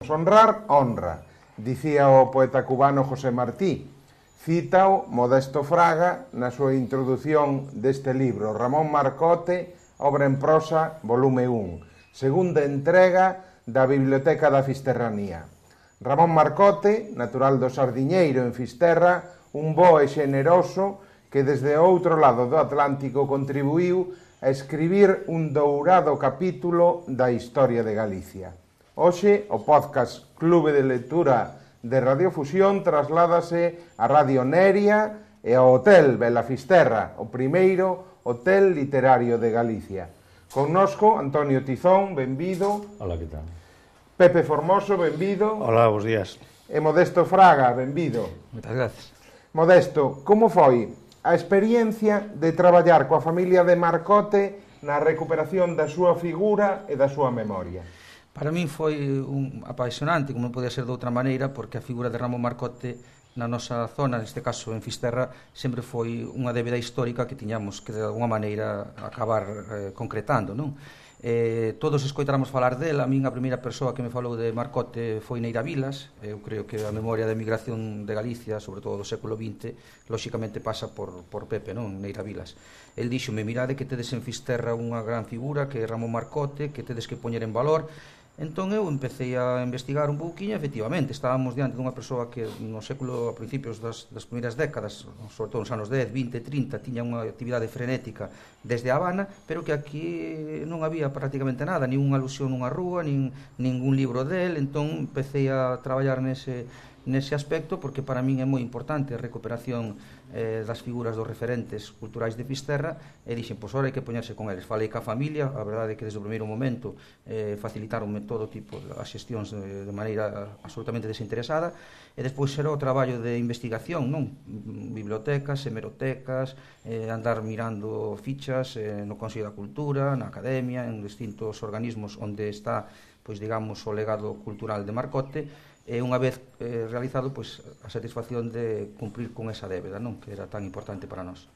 Honrar, honra, dicía o poeta cubano José Martí. Cítao Modesto Fraga na súa introdución deste libro, Ramón Marcote, obra en prosa, volume 1, segunda entrega da Biblioteca da Fisterranía. Ramón Marcote, natural do Sardiñeiro en Fisterra, un bo e xeneroso que desde o outro lado do Atlántico contribuiu a escribir un dourado capítulo da historia de Galicia. Hoxe, o podcast Clube de Lectura de Radiofusión trasládase a Radio Neria e ao Hotel Bela Fisterra, o primeiro hotel literario de Galicia. Connosco, Antonio Tizón, benvido. Hola, que tal? Pepe Formoso, benvido. Hola, bons días. E Modesto Fraga, benvido. Moitas gracias. Modesto, como foi a experiencia de traballar coa familia de Marcote na recuperación da súa figura e da súa memoria? Para min foi apaixonante, como non podía ser de outra maneira, porque a figura de Ramón Marcote na nosa zona, neste caso en Fisterra, sempre foi unha débeda histórica que tiñamos que de alguma maneira acabar concretando, non? Todos escoitáramos falar dela. A min a primeira persoa que me falou de Marcote foi Neira Vilas. Eu creo que a memoria da emigración de Galicia, sobre todo do século XX, lóxicamente pasa por Pepe, non? Neira Vilas. El díxome, mirade que tedes en Fisterra unha gran figura que é Ramón Marcote, que tedes que poñer en valor. Entón eu empecé a investigar un pouquinho. Efectivamente, estábamos diante dunha persoa que no século, a principios das primeiras décadas, sobre todo nos anos 10, 20, 30, tiña unha actividade frenética desde A Habana, pero que aquí non había prácticamente nada, nin unha alusión nunha rúa, nin ningún libro del. Entón empecé a traballar nese aspecto, porque para min é moi importante a recuperación das figuras dos referentes culturais de Fisterra, e dixen, pois ora hai que poñerse con eles. Falei ca familia, a verdade é que desde o primeiro momento facilitaronme todo tipo de xestións de maneira absolutamente desinteresada, e despois era o traballo de investigación, non? Bibliotecas, hemerotecas, andar mirando fichas no Consello da Cultura, na Academia, en distintos organismos onde está, pois digamos, o legado cultural de Marcote. E unha vez realizado, pois, a satisfacción de cumprir con esa débeda, non? Que era tan importante para nós.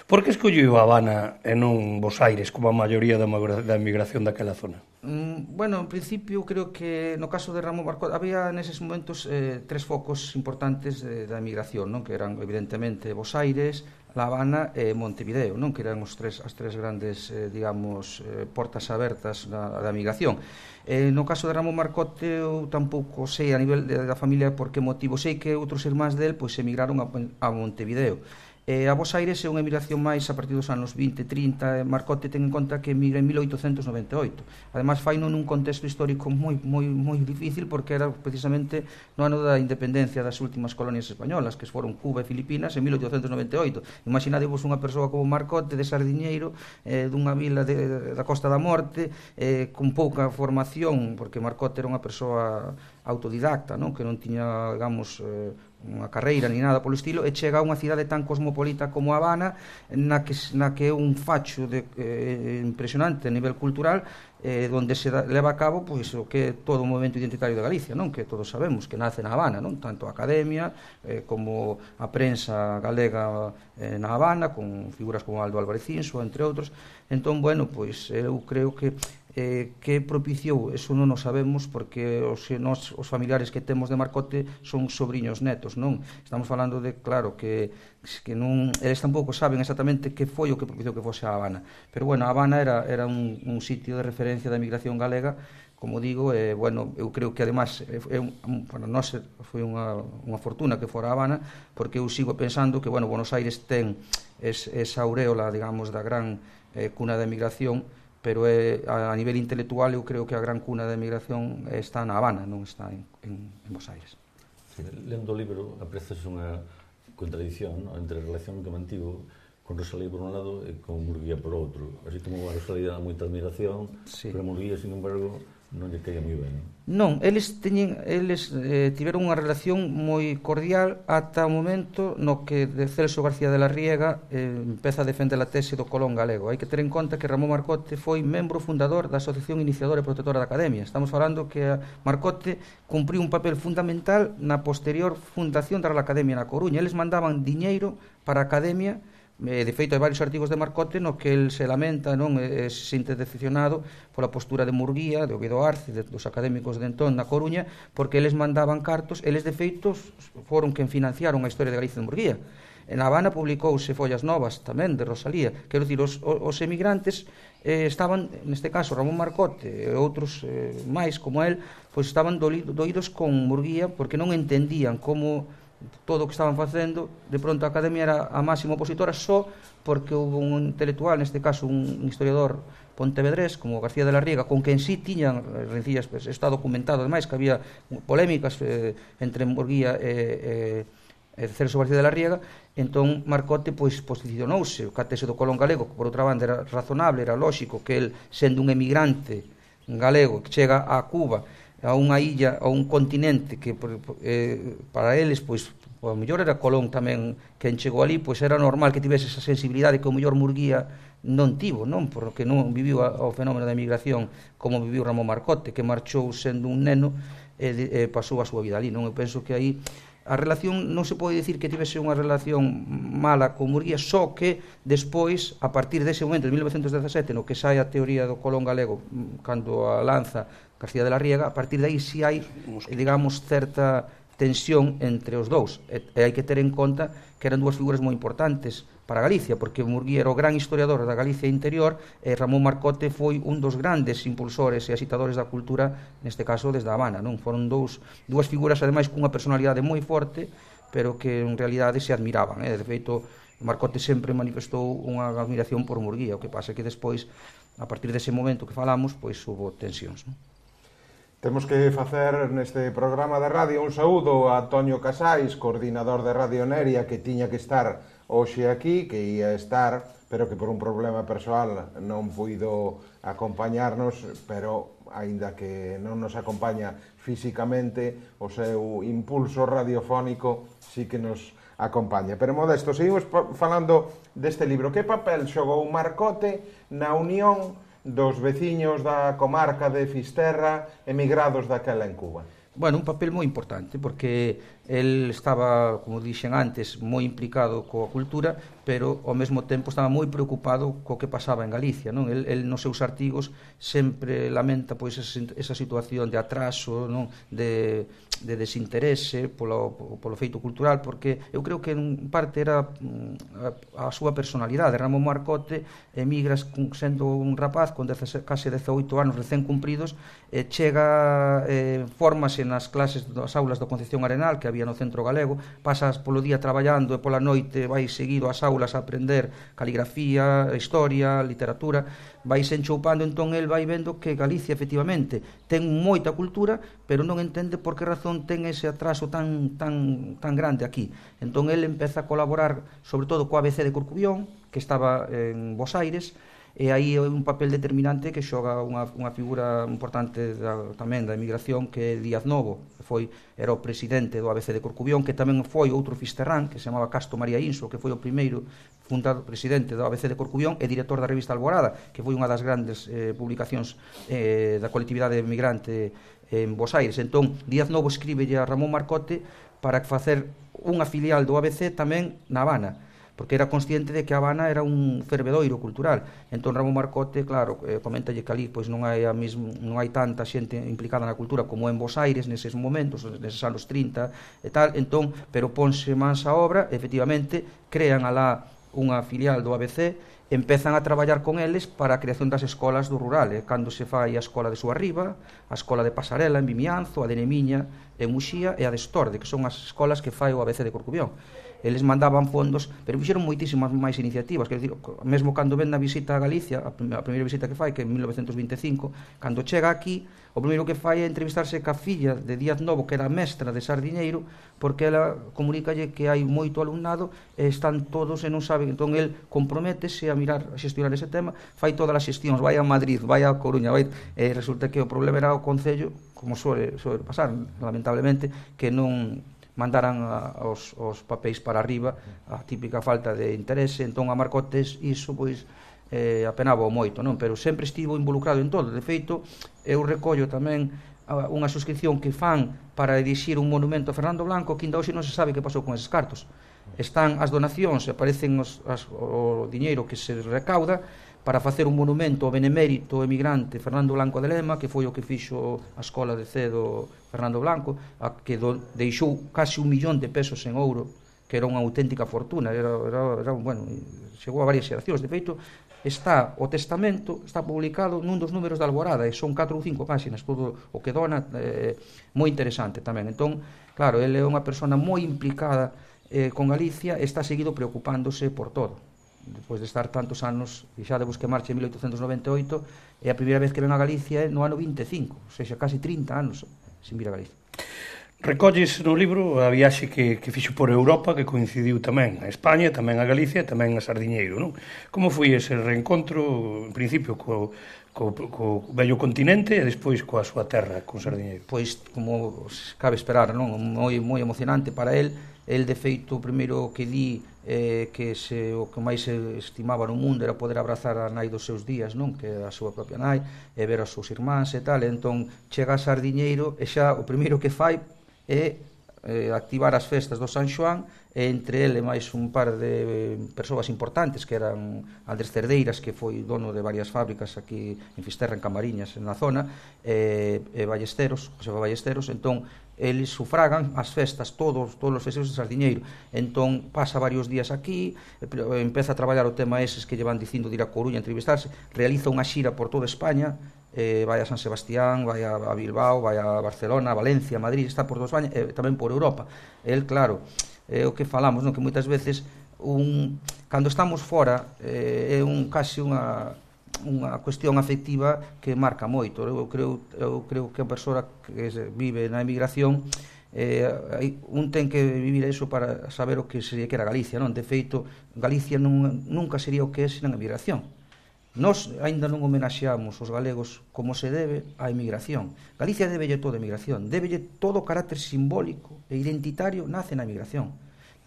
Por que escolliu A Habana e non Bos Aires como a maioría da emigración daquela zona? Bueno, en principio creo que no caso de Ramón Marcote había neses momentos tres focos importantes da emigración, non? Que eran evidentemente Bos Aires, La Habana e Montevideo, non? Que eran as tres grandes, digamos, portas abertas da emigración. No caso de Ramón Marcote eu tampouco sei a nivel da familia por que motivo. Sei que outros irmáns del pois emigraron a Montevideo. A Bos Aires é unha emigración máis a partir dos anos 20, 30. Marcote ten en conta que emigra en 1898. Ademais, faino nun contexto histórico moi difícil, porque era precisamente no ano da independencia das últimas colonias españolas, que foron Cuba e Filipinas, en 1898. Imaginadevos unha persoa como Marcote, de Sardiñeiro, dunha vila da Costa da Morte, con pouca formación, porque Marcote era unha persoa autodidacta, non? Que non tiña, digamos, unha carreira ni nada polo estilo, e chega a unha cidade tan cosmopolita como A Habana, na que é un facho impresionante a nivel cultural, onde se leva a cabo pois o que é todo o movimento identitario de Galicia, non? Que todos sabemos que nace na Habana, non? Tanto a academia como a prensa galega na Habana, con figuras como Aldo Álvarez Cinso, entre outros. Entón, bueno, pois eu creo que propiciou, eso non o sabemos, porque os familiares que temos de Marcote son sobriños netos, non? Estamos falando de, claro, que non, eles tampouco saben exactamente que foi o que propiciou que fose a Habana, pero bueno, a Habana era un sitio de referencia da migración galega, como digo, bueno, eu creo que además para nós foi unha fortuna que fora a Habana, porque eu sigo pensando que, bueno, Buenos Aires ten esa auréola, digamos, da gran cuna da emigración, pero a nivel intelectual eu creo que a gran cuna da emigración está na Habana, non está en Bos Aires. Sí, lendo o libro aprecias unha contradición, ¿no?, entre a relación que mantivo con Rosalía por un lado e con Murguía por outro. Así como a Rosalía dá moita admiración, sí, pero a Murguía, sin embargo, non lle caía moi ben. Non, eles tiveron unha relación moi cordial ata o momento no que Celso García de la Riega empeza a defender a tese do Colón galego. Hai que ter en conta que Ramón Marcote foi membro fundador da Asociación Iniciadora e Protectora da Academia. Estamos falando que Marcote cumpriu un papel fundamental na posterior fundación da Real Academia na Coruña. Eles mandaban diñeiro para a Academia De feito, hai varios artigos de Marcote no que el se lamenta, non, se sinte decepcionado pola postura de Murguía, de Oviedo Arce, dos académicos de entón na Coruña, porque eles mandaban cartos, eles de feito foron quen financiaron a historia de Galicia de Murguía. En Habana publicouse Follas Novas tamén de Rosalía. Quero dicir, os emigrantes estaban, neste caso Ramón Marcote e outros máis como el, pois estaban doídos con Murguía porque non entendían como todo o que estaban facendo, de pronto a Academia era a máxima opositora só porque houve un intelectual, neste caso un historiador pontevedrés como García de la Riega, con quen sí tiñan rencillas, pues, está documentado ademais que había polémicas entre Murguía e Celso García de la Riega. Entón Marcote pois posicionouse, o catese do Colón galego, que por outra banda era razonable, era lóxico que el, sendo un emigrante galego que chega a Cuba, a unha illa, a un continente que para eles, pois, o mellor era Colón tamén quen chegou ali, pois era normal que tivese esa sensibilidade que o mellor Murguía non tivo, non? Porque non viviu o fenómeno da emigración como viviu Ramón Marcote, que marchou sendo un neno e pasou a súa vida ali, non? Eu penso que aí a relación non se pode dicir que tivese unha relación mala con Murguía, só que despois, a partir dese momento de 1917, no que sai a teoría do Colón galego, cando a lanza García de la Riega, a partir de aí si hai, digamos, certa tensión entre os dous, e hai que ter en conta que eran dúas figuras moi importantes para Galicia, porque Murguía era o gran historiador da Galicia interior e Ramón Marcote foi un dos grandes impulsores e agitadores da cultura, neste caso desde a Habana, non? Foron dúas figuras ademais cunha personalidade moi forte, pero que en realidade se admiraban, De feito, Marcote sempre manifestou unha admiración por Murguía, o que pasa que despois, a partir dese momento que falamos, pois hubo tensións, non? Temos que facer neste programa de radio un saúdo a Toño Casais, coordinador de Radio Neria, que tiña que estar hoxe aquí, que ia estar, pero que por un problema persoal non puido acompañarnos, pero aínda que non nos acompaña físicamente, o seu impulso radiofónico sí que nos acompaña. Pero Modesto, seguimos falando deste libro. Que papel xogou Marcote na unión dos veciños da comarca de Fisterra emigrados daquela en Cuba? Bueno, un papel moi importante, porque el estaba, como dixen antes, moi implicado coa cultura, pero ao mesmo tempo estaba moi preocupado co que pasaba en Galicia, non? El nos seus artigos sempre lamenta pois esa situación de atraso, non? De desinterese polo feito cultural, porque eu creo que en parte era a súa personalidade. Ramón Marcote emigra sendo un rapaz con case 18 anos recén cumpridos, chega, fórmase nas clases das aulas da Concepción Arenal que había no Centro Galego, pasas polo día traballando e pola noite vai seguido ás aulas a aprender caligrafía, historia, literatura, vai se enchoupando. Entón el vai vendo que Galicia efectivamente ten moita cultura, pero non entende por que razón ten ese atraso tan grande aquí. Entón el empeza a colaborar sobre todo co ABC de Corcubión, que estaba en Bos Aires, e aí é un papel determinante que xoga unha figura importante tamén da emigración, que é Díaz Novo, que era o presidente do ABC de Corcubión, que tamén foi outro fisterrán que se chamaba Casto María Inso, que foi o primeiro fundado presidente do ABC de Corcubión e director da revista Alborada, que foi unha das grandes publicacións da colectividade emigrante en Bos Aires. Entón Díaz Novo escríbelle a Ramón Marcote para facer unha filial do ABC tamén na Habana, porque era consciente de que a Habana era un fervedoiro cultural. Entón Ramón Marcote, claro, coméntalle que ali pois non hai tanta xente implicada na cultura como en Bos Aires neses momentos, neses anos 30 e tal. Entón, pero ponse mans a obra, efectivamente crean alá unha filial do ABC, empezan a traballar con eles para a creación das escolas do rural, cando se fai a escola de Suarriba, a escola de Pasarela en Vimianzo, a de Nemiña en Muxía e a de Estorde, que son as escolas que fai o ABC de Corcubión. Eles mandaban fondos, pero fixeron moitísimas máis iniciativas, quero dicir, mesmo cando ven a visita a Galicia, a primeira visita que fai, que é en 1925, cando chega aquí, o primeiro que fai é entrevistarse ca filla de Díaz Novo, que era mestra de Sardiñeiro, porque ela comunícalle que hai moito alumnado e están todos e non saben. Entón el comprométese a mirar, a xestionar ese tema, fai todas as xestións, vai a Madrid, vai a Coruña, resulta que o problema era o Concello, como suele pasar, lamentablemente, que non mandaran os papéis para arriba, a típica falta de interese. Entón a Marcotes iso pois apenaba moito, non? Pero sempre estivo involucrado en todo. De feito, eu recollo tamén unha suscripción que fan para erixir un monumento a Fernando Blanco, que ainda hoxe non se sabe que pasou con eses cartos. Están as donacións, aparecen o diñeiro que se recauda para facer un monumento ao benemérito emigrante Fernando Blanco de Lema, que foi o que fixo a escola de cedo Fernando Blanco, que deixou casi 1 millón de pesos en ouro, que era unha auténtica fortuna, bueno, chegou a varias xeracións. De feito, está o testamento, está publicado nun dos números da Alborada, e son 4 ou 5 páxinas, todo o que dona, moi interesante tamén. Entón, claro, ele é unha persona moi implicada con Galicia, está seguido preocupándose por todo. Despois de estar tantos anos, e xa de que marcha en 1898, é a primeira vez que ven a Galicia no ano 25, ou seja, casi 30 anos sin vir a Galicia. Recolles no libro a viaxe que fixo por Europa, que coincidiu tamén a España, tamén a Galicia e tamén a Sardiñeiro, non? Como foi ese reencontro, en principio, co vello continente e despois coa súa terra, con Sardiñeiro? Pois, como cabe esperar, non? Moi emocionante para el. El, de feito, o primeiro que di que o que máis se estimaba no mundo era poder abrazar a nai dos seus días, non? Que a súa propia nai, e ver os seus irmáns e tal. Entón, chega a Sardiñeiro e xa o primeiro que fai é activar as festas do San Xoán, e entre ele máis un par de persoas importantes, que eran Andrés Cerdeiras, que foi dono de varias fábricas aquí en Fisterra, en Camariñas, na zona, e Ballesteros, José Ballesteros. Entón, eles sufragan as festas, todos os festejos de Sardiñeiro. Entón, pasa varios días aquí, empeza a traballar o tema eses que lle van dicindo de ir a Coruña a entrevistarse, realiza unha xira por toda España, vai a San Sebastián, vai a Bilbao, vai a Barcelona, a Valencia, a Madrid, está por toda España, e tamén por Europa. El, claro, é o que falamos, non? Que moitas veces cando estamos fora é casi unha cuestión afectiva que marca moito. Eu creo que a persoa que vive na emigración un ten que vivir eso para saber o que sería que era Galicia, non? De feito, Galicia nunca sería o que é sen a emigración. Nós aínda non homenaxeamos os galegos como se debe á emigración. Galicia debelle toda a emigración, debelle todo o carácter simbólico e identitario, nace na emigración.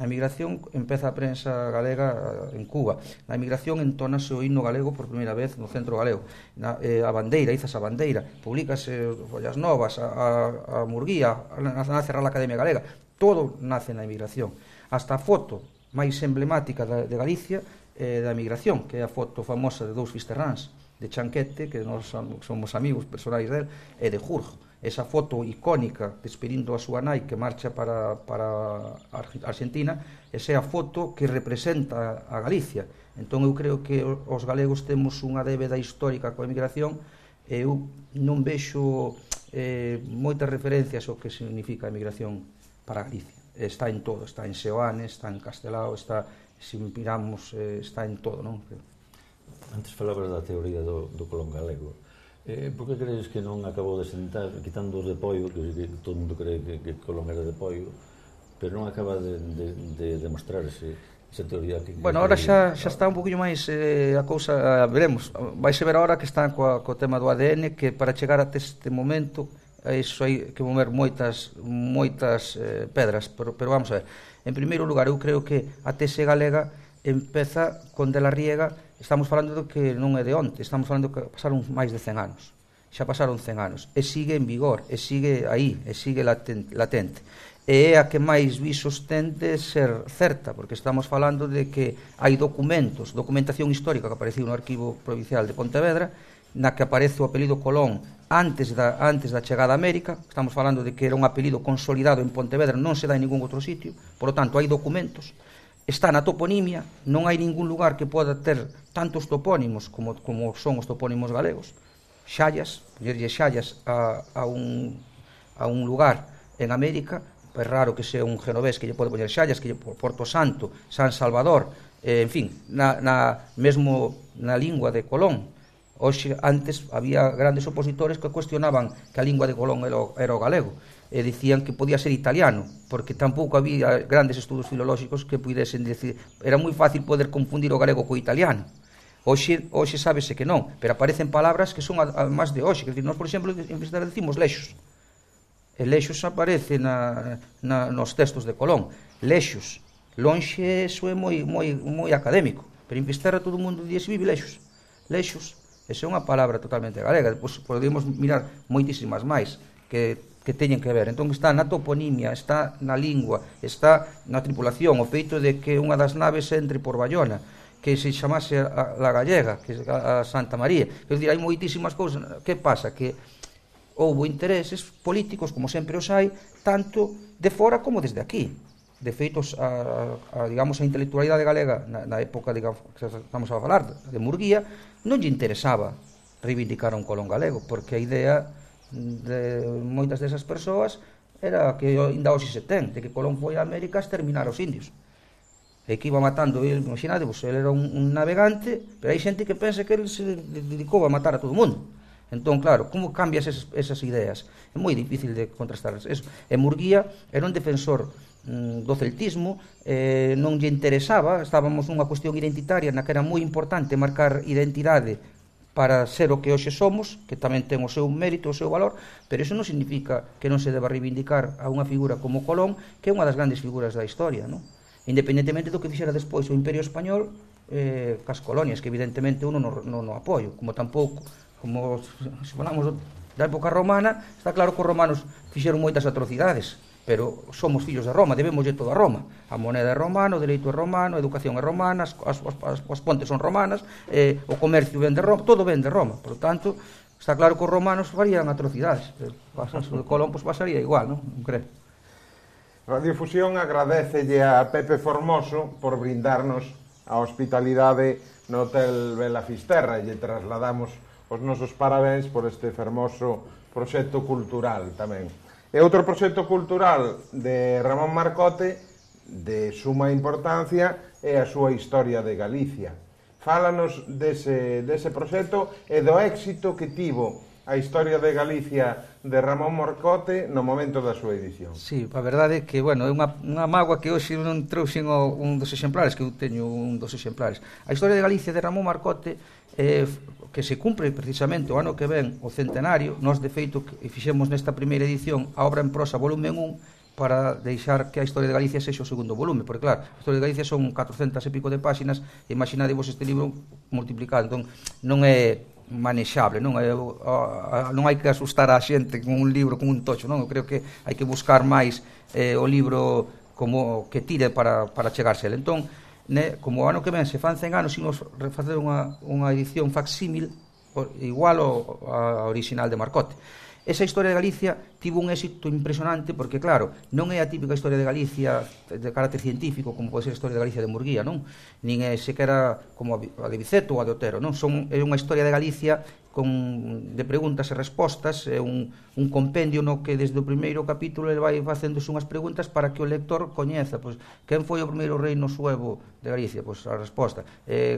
Na emigración empeza a prensa galega en Cuba. Na emigración entónase o himno galego por primeira vez no centro galego. A bandeira, izas a bandeira, publícase Follas Novas, a Murguía, nace a Real Academia Galega. Todo nace na emigración. Hasta a foto máis emblemática de Galicia da emigración, que é a foto famosa de dous fisterráns, de Chanquete, que nós somos amigos personais del, e de Jurjo. Esa foto icónica despedindo a súa nai que marcha para Argentina, esa é a foto que representa a Galicia. Entón eu creo que os galegos temos unha débeda histórica coa emigración, e eu non vexo moitas referencias ao que significa a emigración para Galicia. Está en todo, está en Seoane, está en Castelao, está, se miramos, está en todo, non? Antes falabas da teoría do Colón galego. Por que crees que non acabou de sentar, quitando os de Poio, que todo o mundo cree que Colón era de Poio, pero non acaba de demostrarse esa teoría que... Bueno, ahora xa está un poquinho máis a cousa, veremos. Vaise ver ahora que está co tema do ADN, que para chegar até este momento iso hai que mover moitas pedras, pero vamos a ver. En primeiro lugar, eu creo que a tese galega empeza con De la Riega. Estamos falando do que non é de onte, estamos falando que pasaron máis de 100 anos. Xa pasaron 100 anos, e sigue en vigor, e sigue aí, e sigue latente. E é a que máis visos ten de ser certa, porque estamos falando de que hai documentación histórica que apareceu no Arquivo Provincial de Pontevedra, na que aparece o apelido Colón antes da chegada a América. Estamos falando de que era un apelido consolidado en Pontevedra, non se dá en ningún outro sitio, por lo tanto hai documentos. Está na toponimia, non hai ningún lugar que poda ter tantos topónimos como son os topónimos galegos. Xallas, poñerlle Xallas a un lugar en América, é raro que sea un genovés que lle pode poñer Xallas, que lle Porto Santo, San Salvador, en fin, mesmo na lingua de Colón. Hoxe, antes, había grandes opositores que cuestionaban que a lingua de Colón era o galego, e dicían que podía ser italiano, porque tampouco había grandes estudos filolóxicos que pudesen decir. Era moi fácil poder confundir o galego co italiano. Hoxe sábese que non, pero aparecen palabras que son máis de hoxe. Nós, por exemplo, en Fisterra decimos lexos. E lexos aparece nos textos de Colón. Lexos. Lonxe, eso é moi académico, pero en Fisterra todo o mundo dice vive lexos. Lexos. Esa é unha palabra totalmente galega. Depois podemos mirar moitísimas máis. que teñen que ver. Entón está na toponimia, está na lingua, está na tripulación, o feito de que unha das naves entre por Bayona, que se chamase a Gallega, que a Santa María. Quer dizer, hai moitísimas cousas. Que pasa? Que houve intereses políticos, como sempre os hai, tanto de fora como desde aquí. De feito, digamos, a intelectualidade galega na época, digamos, que estamos a falar, de Murguía, non lle interesaba reivindicar un Colón galego, porque a idea de moitas desas persoas era que ainda hoxe se ten, de que Colón foi a América a exterminar os indios, e que iba matando, imaginadevos, ele era un navegante, pero hai xente que pensa que ele se dedicou a matar a todo o mundo. Entón, claro, como cambias esas ideas? É moi difícil de contrastar eso. E Murguía era un defensor do celtismo, non lle interesaba, estábamos nunha cuestión identitaria na que era moi importante marcar identidade para ser o que hoxe somos, que tamén ten o seu mérito, o seu valor, pero iso non significa que non se deba reivindicar a unha figura como Colón, que é unha das grandes figuras da historia, non? Independentemente do que fixera despois o Imperio Español cas colonias, que evidentemente uno non apoio, como tampouco, como se falamos da época romana, está claro que os romanos fixeron moitas atrocidades, pero somos fillos de Roma, debemoslle todo a Roma. A moneda é romana, o dereito é romano, a educación é romana, as pontes son romanas, o comercio ven de Roma, todo ven de Roma. Por lo tanto, está claro que os romanos farían atrocidades. O de Colón pues, pasaría igual, non creo. Radiofusión agradecelle a Pepe Formoso por brindarnos a hospitalidade no Hotel Bela Fisterra e lle trasladamos os nosos parabéns por este fermoso proxecto cultural tamén. E outro proxecto cultural de Ramón Marcote de suma importancia é a súa Historia de Galicia. Fálanos dese proxecto e do éxito que tivo a Historia de Galicia de Ramón Marcote no momento da súa edición. Sí, a verdade é que, bueno, é unha mágoa que hoxe non trouxen un dos exemplares, que eu teño un dos exemplares. A Historia de Galicia de Ramón Marcote que se cumpre precisamente o ano que ven o centenario. Nós, de feito, fixemos nesta primeira edición a obra en prosa volumen 1 para deixar que a Historia de Galicia sexa o segundo volume, porque claro, a Historia de Galicia son 400 e pico de páxinas, e imaginadevos este libro multiplicado, entón non é manexable, non hai que asustar a xente con un libro, con un tocho, non? Eu creo que hai que buscar máis o libro como que tire para chegarse ele. Entón, como o ano que ven se fan 100 anos, imos facer unha edición facsímil igual ao original de Marcote. Esa Historia de Galicia tivo un éxito impresionante porque, claro, non é a típica Historia de Galicia de carácter científico como pode ser a Historia de Galicia de Murguía, non? Nin é sequera como a de Biceto ou a de Otero, non? É unha Historia de Galicia de preguntas e respostas, é un compendio no que desde o primeiro capítulo ele vai facéndose unhas preguntas para que o lector coñeza, pois, quen foi o primeiro reino suevo de Galicia? Pois a resposta.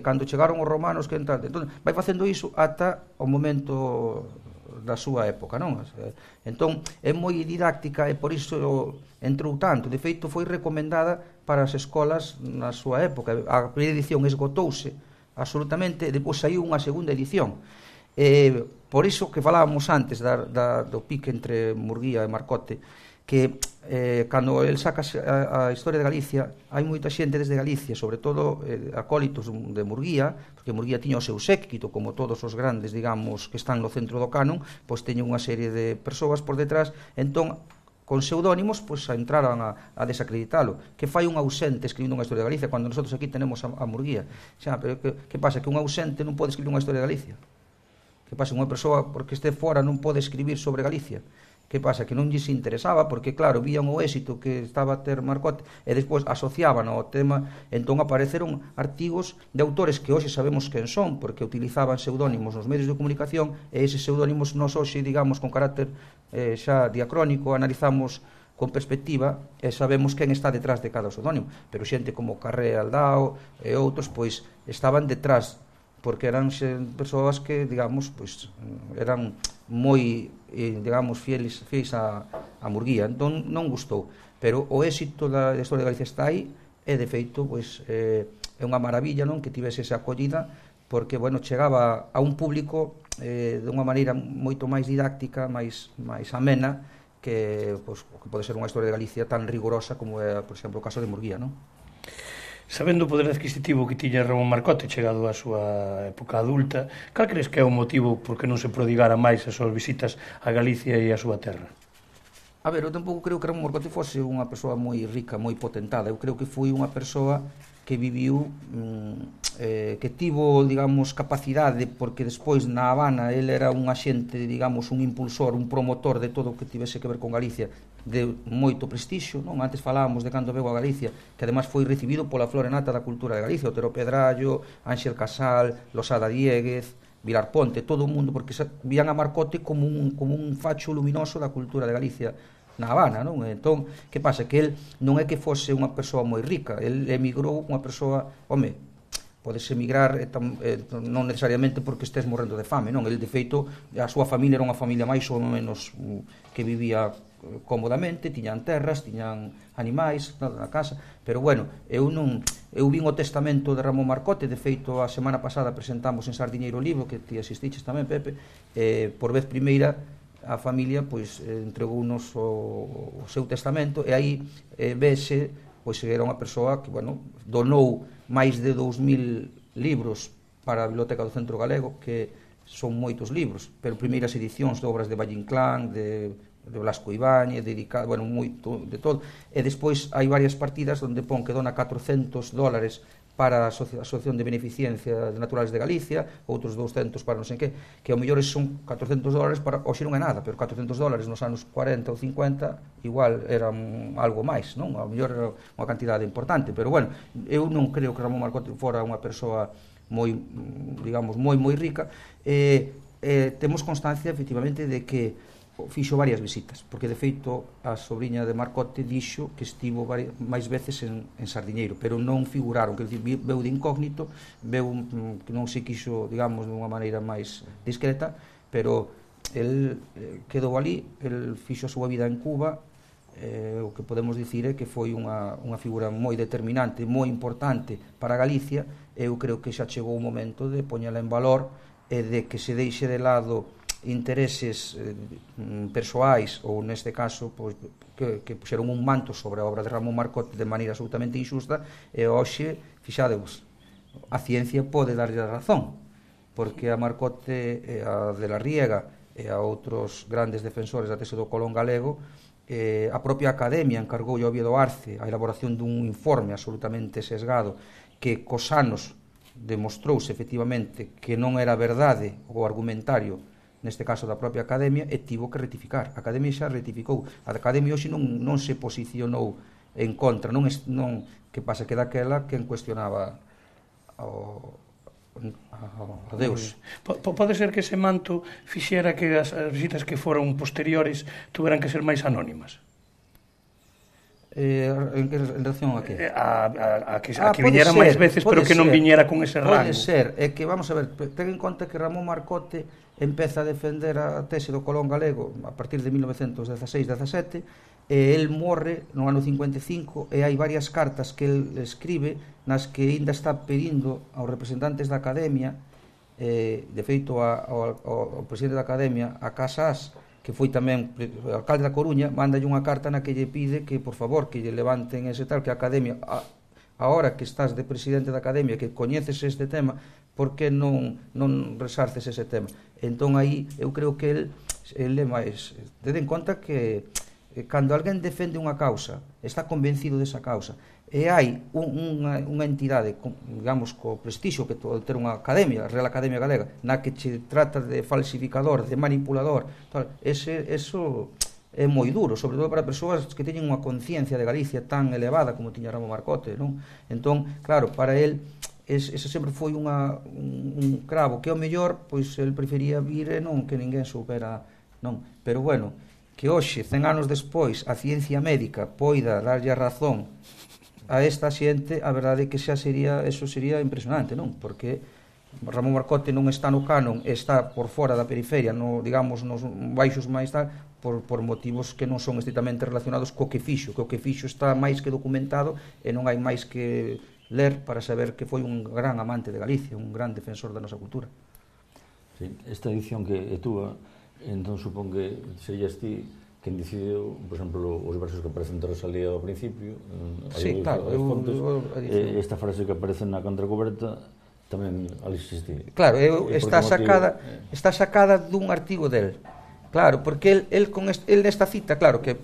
Cando chegaron os romanos, quen tal? Entón, vai facendo iso ata o momento da súa época, non? Entón, é moi didáctica e por iso entrou tanto. De feito, foi recomendada para as escolas na súa época. A primeira edición esgotouse absolutamente, e depois saiu unha segunda edición. Por iso que falábamos antes do pique entre Murguía e Marcote, que cando el saca a Historia de Galicia, hai moita xente desde Galicia, sobre todo acólitos de Murguía, porque Murguía tiña o seu séquito, como todos os grandes, digamos, que están no centro do canon, pois teñen unha serie de persoas por detrás, entón, con pseudónimos, pois entraran a desacreditalo. Que fai un ausente escribindo unha Historia de Galicia, cando nosotros aquí tenemos a Murguía? Xa, pero que pasa? Que un ausente non pode escribir unha Historia de Galicia? Que pasa? Unha persoa, porque este fora, non pode escribir sobre Galicia? Que pasa? Que non lles interesaba, porque claro, vían o éxito que estaba a ter Marcote e despois asociaban ao tema, entón apareceron artigos de autores que hoxe sabemos quen son, porque utilizaban pseudónimos nos medios de comunicación, e eses pseudónimos nos hoxe, digamos, con carácter xa diacrónico, analizamos con perspectiva e sabemos quen está detrás de cada pseudónimo, pero xente como Carré Aldao e outros, pois, estaban detrás, porque eran persoas que, digamos, pois, eran moi, digamos, fieles a Murguía. Entón non gustou, pero o éxito da Historia de Galicia está aí, e de feito, pois, é unha maravilla, non, que tivese esa acollida, porque, bueno, chegaba a un público de unha maneira moito máis didáctica, máis amena, que, pois, que pode ser unha Historia de Galicia tan rigorosa como é, por exemplo, o caso de Murguía, non? Sabendo o poder adquisitivo que tiña Ramón Marcote chegado á súa época adulta, cal crees que é o motivo por que non se prodigara máis as súas visitas a Galicia e a súa terra? A ver, eu tampouco creo que Ramón Marcote fose unha persoa moi rica, moi potentada. Eu creo que foi unha persoa que viviu, que tivo, digamos, capacidade, porque despois na Habana ele era un axente, digamos, un impulsor, un promotor de todo o que tivese que ver con Galicia, de moito prestixio, non? Antes falábamos de cando veu a Galicia, que ademais foi recibido pola flora nata da cultura de Galicia, Otero Pedrallo, Ángel Casal, Losada Dieguez, Vilar Ponte, todo o mundo, porque vían a Marcote como un facho luminoso da cultura de Galicia na Habana, non? Entón, que pasa? Que el non é que fose unha persoa moi rica, el emigrou unha persoa, home, podes emigrar non necesariamente porque estés morrendo de fame, non? El, de feito, a súa familia era unha familia máis ou menos que vivía cómodamente, tiñan terras, tiñan animais na casa, pero bueno, eu vin o testamento de Ramón Marcote, de feito a semana pasada presentamos en Sardiñeiro o libro, que ti asistiches tamén, Pepe, por vez primeira a familia pois entregounos o seu testamento e aí vese pois era unha persoa que, bueno, donou máis de 2000 libros para a Biblioteca do Centro Galego, que son moitos libros, pero primeiras edicións de obras de Valle Inclán, de Blasco Ibáñez, dedicado, bueno, moito de todo, e despois hai varias partidas onde pon que dona $400 para a Asociación de Beneficencia de Naturales de Galicia, outros 200 para non sei que ao mellor son $400 para, hoxe non é nada, pero $400 nos anos 40 ou 50 igual era algo máis, non? Ao mellor era unha cantidade importante, pero bueno, eu non creo que Ramón Marcote fora unha persoa moi, digamos, moi rica. Temos constancia, efectivamente, de que fixo varias visitas, porque de feito a sobrinha de Marcote dixo que estivo máis veces en Sardiñeiro, pero non figuraron, que veu de incógnito, veu que non se quixo, digamos, de unha maneira máis discreta, pero el quedou ali, el fixo a súa vida en Cuba, o que podemos dicir é que foi unha figura moi determinante, moi importante para Galicia. Eu creo que xa chegou o momento de poñela en valor e de que se deixe de lado intereses persoais ou neste caso pois, que puxeron un manto sobre a obra de Ramón Marcote de maneira absolutamente injusta e hoxe, fixadevos, a ciencia pode darlle a razón, porque a Marcote e a de la Riega e a outros grandes defensores da tese do Colón galego, a propia Academia encargou a Oviedo Arce a elaboración dun informe absolutamente sesgado que cos anos demostrouse efectivamente que non era verdade o argumentario neste caso da propia Academia, e tivo que rectificar. A Academia xa rectificou. A Academia hoxe non se posicionou en contra, non que pasa que daquela quen cuestionaba a Deus. Pode ser que ese manto fixera que as visitas que foron posteriores tuveran que ser máis anónimas? En relación a que? A que viñera máis veces, pero que non viñera con ese rango. Pode ser, é que, vamos a ver, ten en conta que Ramón Marcote empeza a defender a tese do Colón galego a partir de 1916-17, e el morre no ano 55, e hai varias cartas que el escribe nas que ainda está pedindo aos representantes da Academia, de feito ao presidente da Academia, a Casas, que foi tamén o alcalde da Coruña, mandalle unha carta na que lle pide que, por favor, que lle levanten ese tal, que a Academia, ahora que estás de presidente da Academia, que coñeces este tema, por que non resarces ese tema? Entón aí eu creo que el é máis, ten en conta que cando alguén defende unha causa, está convencido desa causa, e hai unha entidade, digamos, co prestixio que ter unha academia, a Real Academia Galega, na que che trata de falsificador, de manipulador, tal, eso é moi duro, sobre todo para persoas que teñen unha conciencia de Galicia tan elevada como tiña Ramón Marcote, non? Entón, claro, para el ese sempre foi un cravo que ao mellor, pois, el prefería vir e non que ninguén soupera, non? Pero bueno, que hoxe, 100 anos despois, a ciencia médica poida darlle a razón a esta xente, a verdade é que xa eso sería impresionante, non? Porque Ramón Marcote non está no canon, está por fora da periferia, digamos, nos baixos máis tal, por motivos que non son estritamente relacionados co que fixo, que o que fixo está máis que documentado e non hai máis que ler para saber que foi un gran amante de Galicia, un gran defensor da nosa cultura. Sí, esta edición que é túa, entón supón que serías ti quen decidiu, por exemplo, os versos que aparecen de Rosalía ao principio, sí, claro, esta frase que aparece na contracoberta tamén ali existía. Claro, está sacada dun artigo del. Claro, porque el nesta cita, claro, que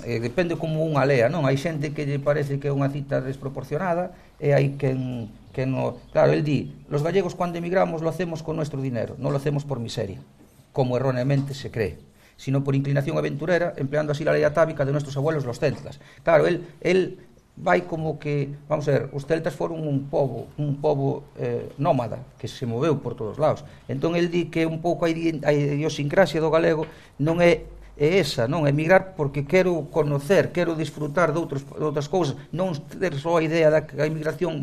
depende como unha lea, non? Hai xente que lle parece que é unha cita desproporcionada e hai que no... Claro, el di, los gallegos cuando emigramos lo hacemos con nuestro dinero, no lo hacemos por miseria, como erróneamente se cree, sino por inclinación aventurera, empleando así la ley atávica de nuestros abuelos los celtas. Claro, él vai como que, vamos a ver, os celtas foron un pobo nómada que se moveu por todos lados. Entón el di que un pouco a idiosincrasia do galego non é esa, non? Emigrar porque quero conocer, quero disfrutar de outras cousas, non ter só a idea da que a emigración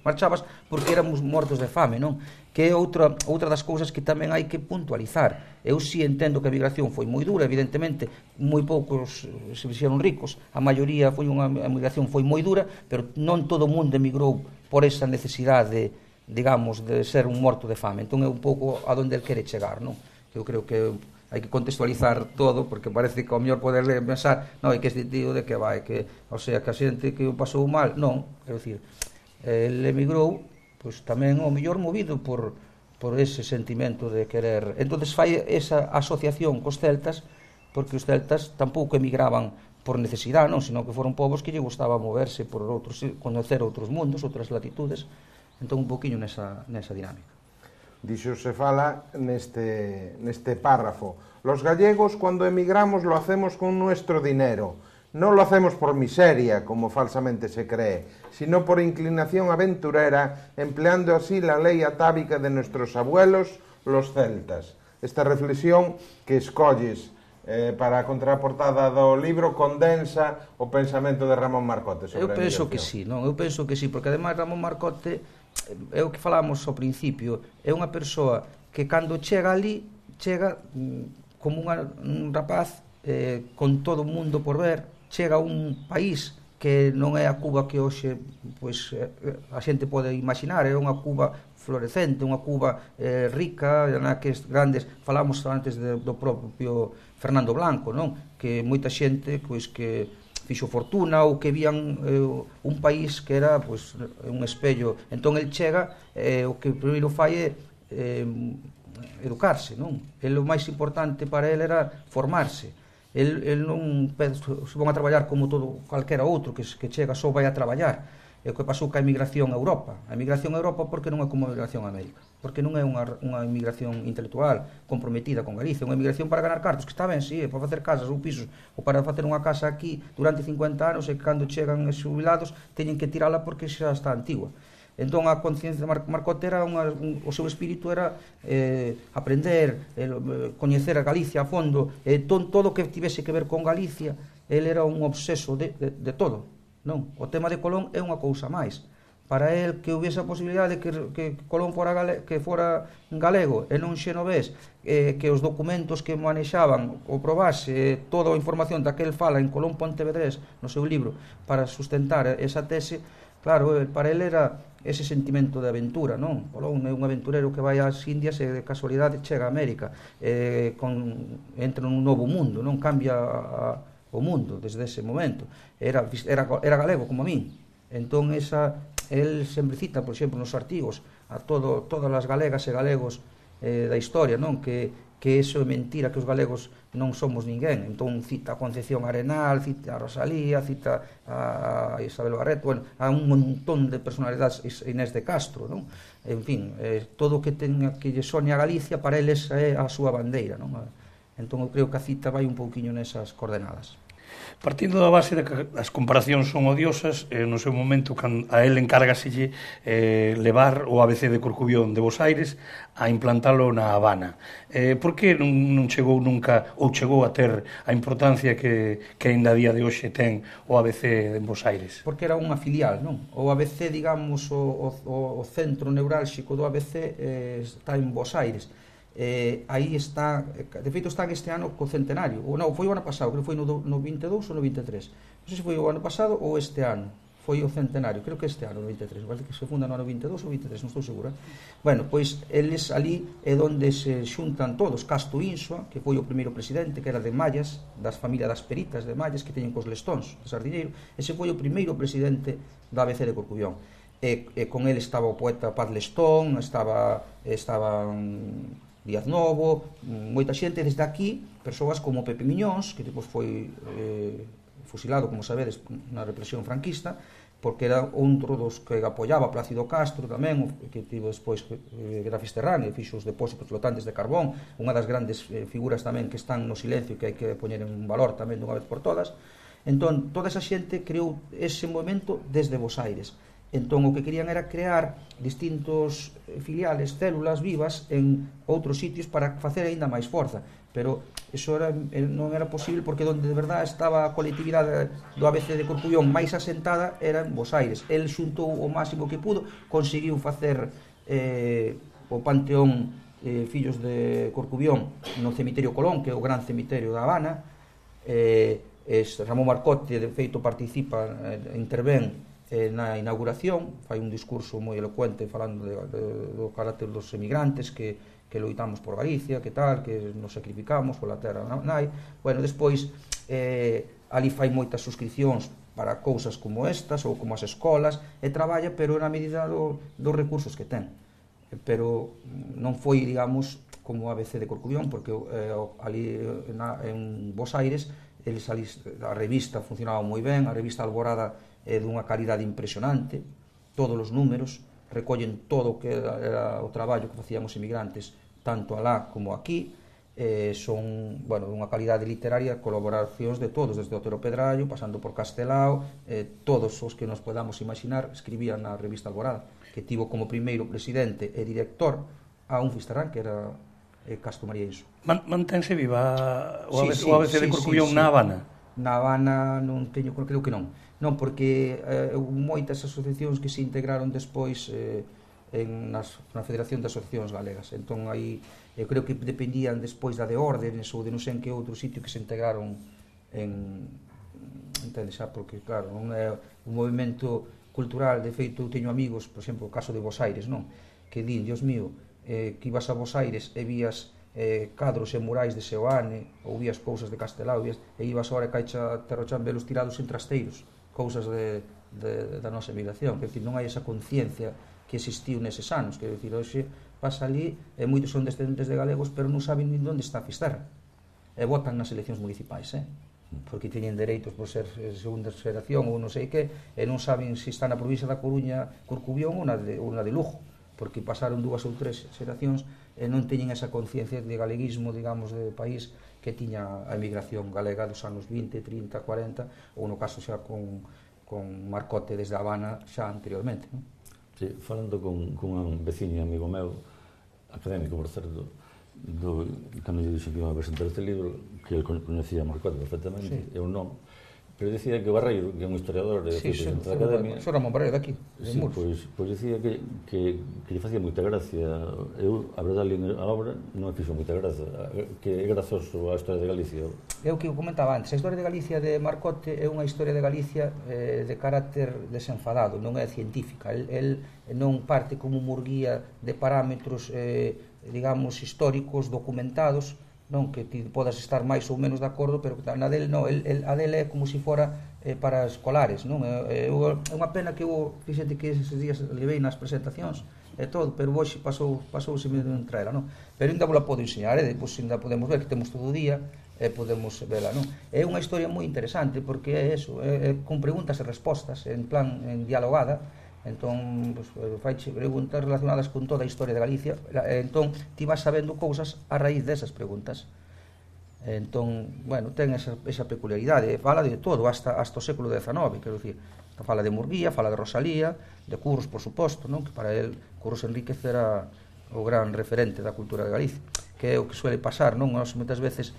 marchabas porque éramos mortos de fame, non? Que é outra das cousas que tamén hai que puntualizar. Eu si entendo que a emigración foi moi dura, evidentemente, moi poucos se fixeron ricos, a maioría foi unha emigración foi moi dura, pero non todo o mundo emigrou por esa necesidade, digamos, de ser un morto de fame. Entón é un pouco a donde el quere chegar, non? Eu creo que hai que contextualizar todo, porque parece que ao mellor poder pensar, non, é que este tío de que vai, que, o sea, que a xente que o pasou mal, non, quero dicir, el emigrou, pois tamén ao mellor movido por ese sentimento de querer. Entonces fai esa asociación cos celtas, porque os celtas tampouco emigraban por necesidade, non, sino que foron povos que lle gustaba moverse por outros, conocer outros mundos, outras latitudes, entón un poquinho nesa dinámica. Dixo se fala neste párrafo. Los gallegos cuando emigramos lo hacemos con nuestro dinero. No lo hacemos por miseria, como falsamente se cree, sino por inclinación aventurera, empleando así la ley atávica de nuestros abuelos, los celtas. Esta reflexión que escolles para a contraportada do libro condensa o pensamento de Ramón Marcote sobre a emigración. Eu penso que sí, non? Eu penso que sí, porque ademais Ramón Marcote, é o que falamos ao principio, é unha persoa que cando chega ali, chega como un rapaz con todo o mundo por ver, chega a un país que non é a Cuba que hoxe pois, a xente pode imaginar, é unha Cuba florecente, unha Cuba rica, na que grandes, falamos antes do propio Fernando Blanco, non? Que moita xente pois, que fixo fortuna ou que vían un país que era pois, un espello. Entón el chega, o que primeiro fai é educarse, non? O máis importante para ele era formarse. El non se van a traballar como todo calquera outro que chega só vai a traballar. É o que pasou ca emigración a Europa. A emigración a Europa porque non é como a emigración a América, porque non é unha emigración intelectual comprometida con Galicia, unha emigración para ganar cartos, que está ben, sí, para facer casas ou pisos, ou para facer unha casa aquí durante 50 anos e cando chegan os xubilados teñen que tirala porque xa está antigua. Entón a conciencia de Marcote era o seu espírito era aprender, coñecer a Galicia a fondo, todo o que tivese que ver con Galicia. Ele era un obseso de todo. Non, o tema de Colón é unha cousa máis. Para el que houvese a posibilidade que Colón fora galego e non xenovés, que os documentos que manexaban o probase toda a información da que el fala en Colón Pontevedrés no seu libro para sustentar esa tese, claro, para el era ese sentimento de aventura, non? Colón é un aventurero que vai ás Indias e de casualidade chega a América, entra nun novo mundo, non cambia o mundo desde ese momento. Era galego como a min. Entón el sempre cita, por exemplo, nos artigos a todas as galegas e galegos da historia, non? Que iso é mentira, que os galegos non somos ninguén. Entón cita a Concepción Arenal, cita a Rosalía, cita a Isabel Barreto, bueno, a un montón de personalidades, Inés de Castro, non? En fin, todo o que lle sone a Galicia para eles é a súa bandeira, non? Entón eu creo que a cita vai un pouquiño nesas coordenadas. Partindo da base de que as comparacións son odiosas, no seu momento a él encárgaselle levar o ABC de Corcubión de Bos Aires a implantalo na Habana. Por que non chegou nunca, ou chegou a ter a importancia que ainda a día de hoxe ten o ABC en Bos Aires? Porque era unha filial, non? O ABC, digamos, o centro neurálxico do ABC está en Bos Aires. Aí está, de feito está este ano co centenario, ou non, foi o ano pasado, creo que foi no 22 ou no 23, non sei se foi o ano pasado ou este ano, foi o centenario, creo que este ano, 93, parece que se funda no ano 22 ou 23, non estou segura. Bueno, pois eles ali é onde se xuntan todos, Casto Insua, que foi o primeiro presidente, que era de Mallas, das familias das peritas de Mallas, que teñen cos lestóns de Sardiñeiro, ese foi o primeiro presidente da ABC de Corcubión. E con ele estaba o poeta Paz Lestón, estaba Díaz Novo, moita xente desde aquí, persoas como Pepe Miñóns, que depois foi fusilado, como sabedes, na represión franquista, porque era outro dos que apoiaba Plácido Castro tamén, que tivo despois era fisterráneo, fixo os depósitos flotantes de carbón, unha das grandes figuras tamén que están no silencio, que hai que poñer en valor tamén dunha vez por todas. Entón, toda esa xente creou ese movimento desde Bos Aires. Entón, o que querían era crear distintos filiales, células vivas en outros sitios para facer aínda máis forza. Pero iso non era posible porque onde de verdade estaba a colectividade do ABC de Corcubión máis asentada era en Bos Aires. El xuntou o máximo que pudo, conseguiu facer o Panteón Fillos de Corcubión no cemiterio Colón, que é o gran cemiterio da Habana. Ramón Marcote, de feito, participa, intervén na inauguración, fai un discurso moi elocuente falando do carácter dos emigrantes que loitamos por Galicia, que tal, que nos sacrificamos pola terra nai. Bueno, despois ali fai moitas suscripcións para cousas como estas ou como as escolas e traballa, pero na medida dos recursos que ten. Pero non foi, digamos, como a ABC de Corcubión, porque ali en Bos Aires a revista funcionaba moi ben, a revista Alborada é dunha calidade impresionante, todos os números recollen todo o que era o traballo que facían os emigrantes tanto alá como aquí, son, bueno, dunha calidade literaria, colaboracións de todos, desde Otero Pedrallo, pasando por Castelao, todos os que nos podamos imaginar escribían na revista Alborada, que tivo como primeiro presidente e director a un fisterrán que era Castro María Inso. Mantense viva o ABC de Corcubión na Habana? Na Habana non teño, creo que non. Non, porque moitas asociacións que se integraron despois na Federación de Asociacións Galegas. Entón, aí, eu creo que dependían despois da de Órdenes ou de non sei en que outro sitio que se integraron entendes, xa, porque, claro, non é un movimento cultural. De feito, eu teño amigos, por exemplo, o caso de Bos Aires, non? Que din, Dios mío, que ibas a Bos Aires e vías cadros e murais de Seoane ou vías cousas de Castelao e ibas ahora e caixa Terrochan velos tirados en trasteiros, cousas da nosa emigración. Quer dizer, non hai esa conciencia que existiu neses anos. Quer dizer, hoxe pasa ali e moitos son descendentes de galegos, pero non saben nin onde está Fisterra e votan nas eleccións municipais, porque teñen dereitos por ser segunda xeración ou non sei que, e non saben se está na provincia da Coruña, Corcubión ou na de Lugo, porque pasaron 2 ou 3 xeracións e non teñen esa conciencia de galeguismo, digamos, de país que tiña a emigración galega dos anos 20, 30, 40, ou no caso xa con Marcote desde Habana xa anteriormente, non? Sí, falando con un veciño amigo meu, académico, por certo, cando lle dixo que iba a presentar este libro, que ele coñecía a Marcote perfectamente, eu non, pero dicía que Barreiro, que é un historiador de presidente da Academia... Xo Ramón Barreiro daqui, de Muros. Pois dicía que lle facía moita gracia. Eu, a verdade, a obra non me fixo moita gracia, que é grazoso a historia de Galicia. É o que eu comentaba antes, a historia de Galicia de Marcote é unha historia de Galicia de carácter desenfadado, non é científica. El non parte como Murguía de parámetros, digamos, históricos, documentados, non que ti podas estar máis ou menos de acordo, pero na del non, a del é como se fora para escolares, non? É unha pena que eu, fíxate que eses días levei nas presentacións e todo, pero hoxe pasouse medio entre ela, non? Pero ainda vos la podo enseñar, e depois ainda podemos ver que temos todo o día e podemos vela, non? É unha historia moi interesante porque é eso, con preguntas e respostas, en plan dialogada. Entón, faiche preguntas relacionadas con toda a historia de Galicia, entón ti vas sabendo cousas a raíz desas preguntas. Entón, bueno, ten esa peculiaridade, fala de todo, hasta o século XIX, quero dicir, fala de Murguía, fala de Rosalía, de Curros, por suposto, non? Que para el Curros Enríquez era o gran referente da cultura de Galicia, que é o que suele pasar, non? Nós moitas veces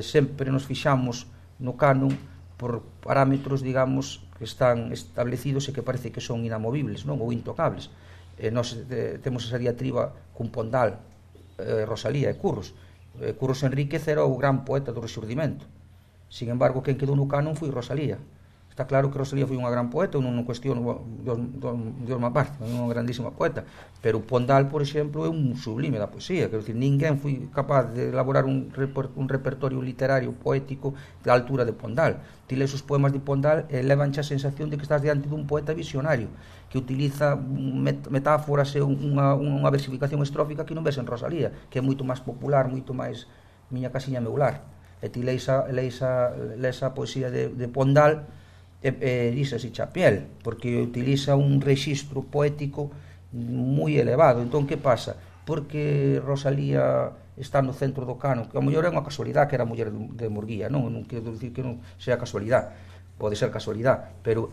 sempre nos fixamos no canon por parámetros, digamos, que están establecidos e que parece que son inamovibles, non? Ou intocables. Nós temos esa diatriba cun Pondal, Rosalía e Curros. Curros Enríquez era o gran poeta do Rexurdimento. Sin embargo, quen quedou no canon foi Rosalía. Está claro que Rosalía foi unha gran poeta, eu non cuestiono Dios má parte, é unha grandísima poeta, pero Pondal, por exemplo, é un sublime da poesía, quero dicir, ninguén foi capaz de elaborar un repertorio literario poético da altura de Pondal. Ti lees os poemas de Pondal e levanche a sensación de que estás diante dun poeta visionario, que utiliza metáforas e unha versificación estrófica que non ves en Rosalía, que é moito máis popular, moito máis miña casiña meu lar. E ti lees a poesía de Pondal dice así chapiel, porque utiliza un rexistro poético moi elevado. Entón, que pasa? Porque Rosalía está no centro do cano, que a mellor é unha casualidade que era muller de Murguía, non quero dicir que non sea casualidade, pode ser casualidade, pero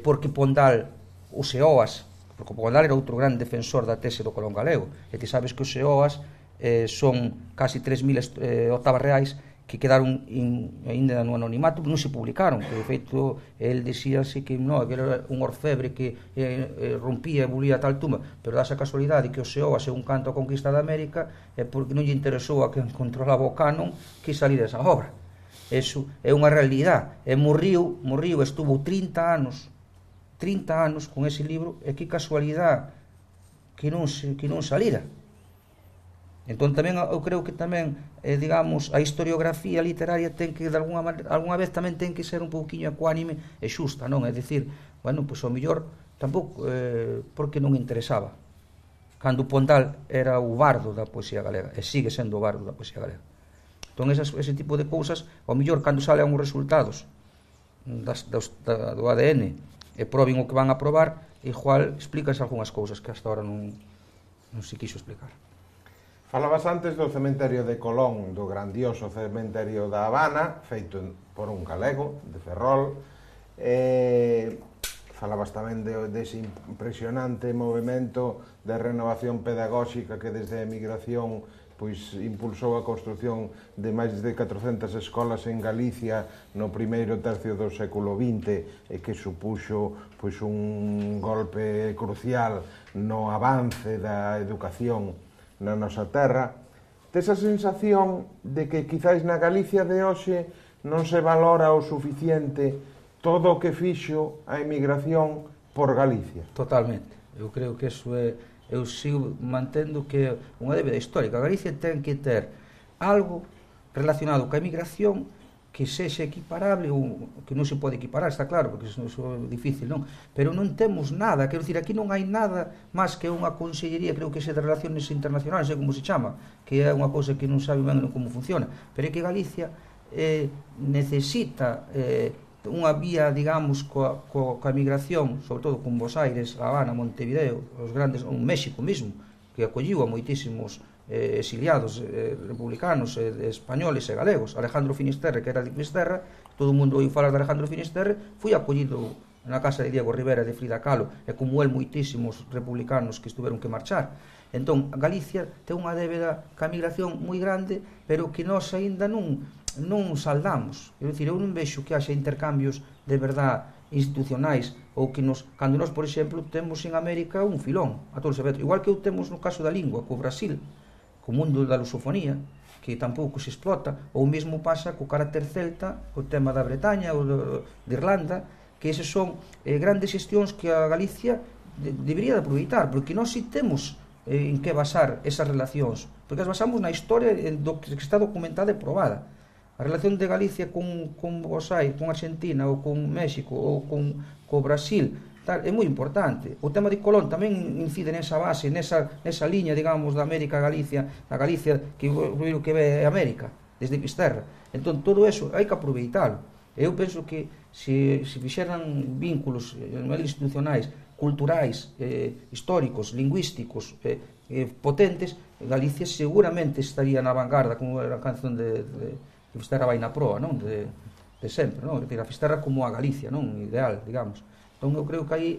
porque Pondal, os Seoas, porque Pondal era outro gran defensor da tese do Colón galego, e ti sabes que os Seoas son casi 3.000 octavas reais que quedaron ainda no anonimato, non se publicaron, que de feito el dixíase que non, que era un orfebre que rompía e bulía tal tumba, pero dá esa casualidade que o Seoas é un canto a conquista da América é porque non lle interesou a quen controlaba o canon que salir esa obra. Eso é unha realidade. E morriu, estuvo 30 anos con ese libro, e que casualidade que non salira. Entón tamén eu creo que tamén digamos, a historiografía literaria ten que, de alguna vez tamén ten que ser un pouquiño ecuánime e xusta, non? É dicir, bueno, pois ao mellor tampouco porque non interesaba, cando Pondal era o bardo da poesía galega e sigue sendo o bardo da poesía galega. Entón ese tipo de cousas, ao mellor cando salen os resultados do ADN e proben o que van a probar, igual explícase algunhas cousas que hasta ahora non se quixo explicar. Falabas antes do cementerio de Colón, do grandioso cementerio da Habana, feito por un galego, de Ferrol. Falabas tamén dese impresionante movimento de renovación pedagóxica que desde a emigración pois impulsou a construción de máis de 400 escolas en Galicia no primeiro tercio do século XX e que supuxo pois un golpe crucial no avance da educación na nosa terra. Tes a sensación de que quizáis na Galicia de hoxe non se valora o suficiente todo o que fixo a emigración por Galicia? Totalmente. Eu creo que eso é... Eu sigo mantendo que é unha débeda histórica. A Galicia ten que ter algo relacionado ca emigración que sexa equiparable, ou que non se pode equiparar, está claro, porque iso é difícil, non? Pero non temos nada, quero dicir, aquí non hai nada máis que unha consellería, creo que é de Relaciones Internacionales, non sei como se chama, que é unha cousa que non sabe ben como funciona, pero é que Galicia necesita unha vía, digamos, coa emigración, sobre todo con Buenos Aires, La Habana, Montevideo, os grandes, un México mesmo, que acolliu a moitísimos exiliados republicanos, españoles e galegos. Alejandro Finisterre, que era de Fisterra, todo o mundo ouiu falar de Alejandro Finisterre, foi acollido na casa de Diego Rivera de Frida Kahlo, e como el moitísimos republicanos que estuveron que marchar. Entón, Galicia ten unha débeda ca migración moi grande, pero que nós aínda non saldamos. Quero dicir, eu non vexo que haxa intercambios de verdade institucionais, ou que cando nós, por exemplo, temos en América un filón a todos os efectos, igual que eu temos no caso da lingua co Brasil, co mundo da lusofonía, que tampouco se explota, ou mesmo pasa co carácter celta, co tema da Bretaña ou de Irlanda, que eses son grandes xestións que a Galicia debería de aproveitar, porque nós si temos en que basar esas relacións, porque as basamos na historia do que está documentada e probada. A relación de Galicia con Buenos Aires, con Argentina, ou con México, ou con Brasil, tal, é moi importante. O tema de Colón tamén incide nesa base, nesa liña, digamos, da América a Galicia, a Galicia que ve a América, desde Fisterra. Entón, todo eso hai que aproveitalo. Eu penso que se fixeran vínculos institucionais, culturais, históricos, lingüísticos, potentes, Galicia seguramente estaría na vanguarda, como era a canción de Fisterra vai na proa, non? De sempre, non? A Fisterra como a Galicia, non? Ideal, digamos. Entón eu creo que aí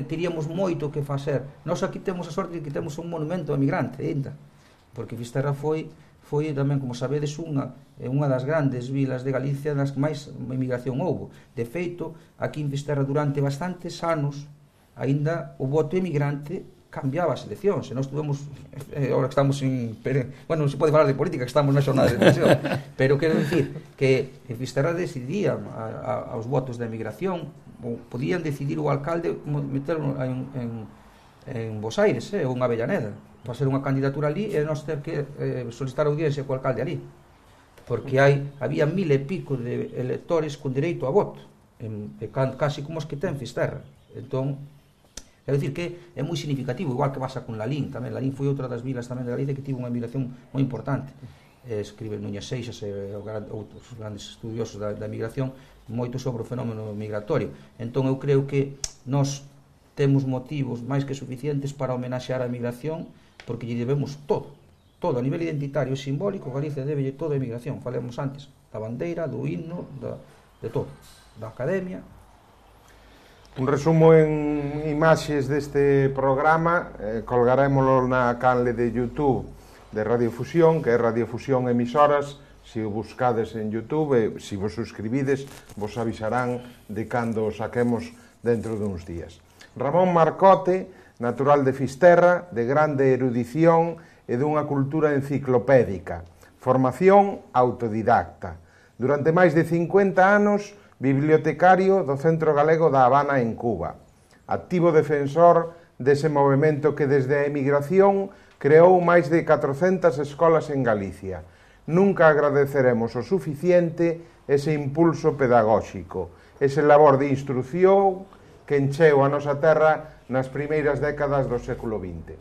teríamos moito que facer. Nós aquí temos a sorte de que temos un monumento emigrante ainda, porque Fisterra foi tamén, como sabedes, unha das grandes vilas de Galicia nas que máis emigración houbo. De feito, aquí en Fisterra durante bastantes anos, aínda o voto emigrante cambiaba as eleccións, e nós tuvemos, agora que estamos bueno, non se pode falar de política, que estamos na xornada de elección, pero quero dicir que en Fisterra decidían aos votos da emigración, ou podían decidir o alcalde meterlo en Bos Aires, ou en Avellaneda, para ser unha candidatura ali, e nós ter que solicitar audiencia co alcalde ali, porque había 1000 e pico de electores con dereito a voto, casi como os que ten Fisterra. Entón, quero dicir que é moi significativo, igual que pasa con Lalín tamén. Lalín foi outra das vilas tamén de Galicia que tivo unha migración moi importante. Escribe Núñez Seixas e outros grandes estudiosos da migración moito sobre o fenómeno migratorio. Entón eu creo que nós temos motivos máis que suficientes para homenaxear a migración, porque lle debemos todo a nivel identitario e simbólico. Galicia debe todo a migración, falemos antes da bandeira, do himno, de todo, da academia. Un resumo en imaxes deste programa, colgarémolo na canle de YouTube de Radiofusión, que é Radiofusión Emisoras. Se o buscades en YouTube e se vos suscribides, vos avisarán de cando o saquemos dentro duns días. Ramón Marcote, natural de Fisterra, de grande erudición e dunha cultura enciclopédica. Formación autodidacta. Durante máis de 50 anos, bibliotecario do Centro Galego da Habana en Cuba. Activo defensor dese movemento que desde a emigración creou máis de 400 escolas en Galicia. Nunca agradeceremos o suficiente ese impulso pedagóxico, ese labor de instrucción que encheu a nosa terra nas primeiras décadas do século XX.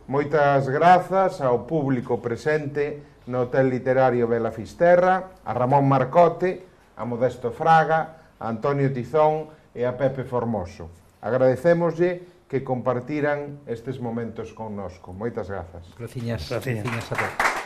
Moitas grazas ao público presente no Hotel Literario Vela Fisterra, a Ramón Marcote, a Modesto Fraga, a Antonio Tizón e a Pepe Formoso. Agradecémoslle que compartiran estes momentos connosco. Moitas grazas. Graciñas a todos.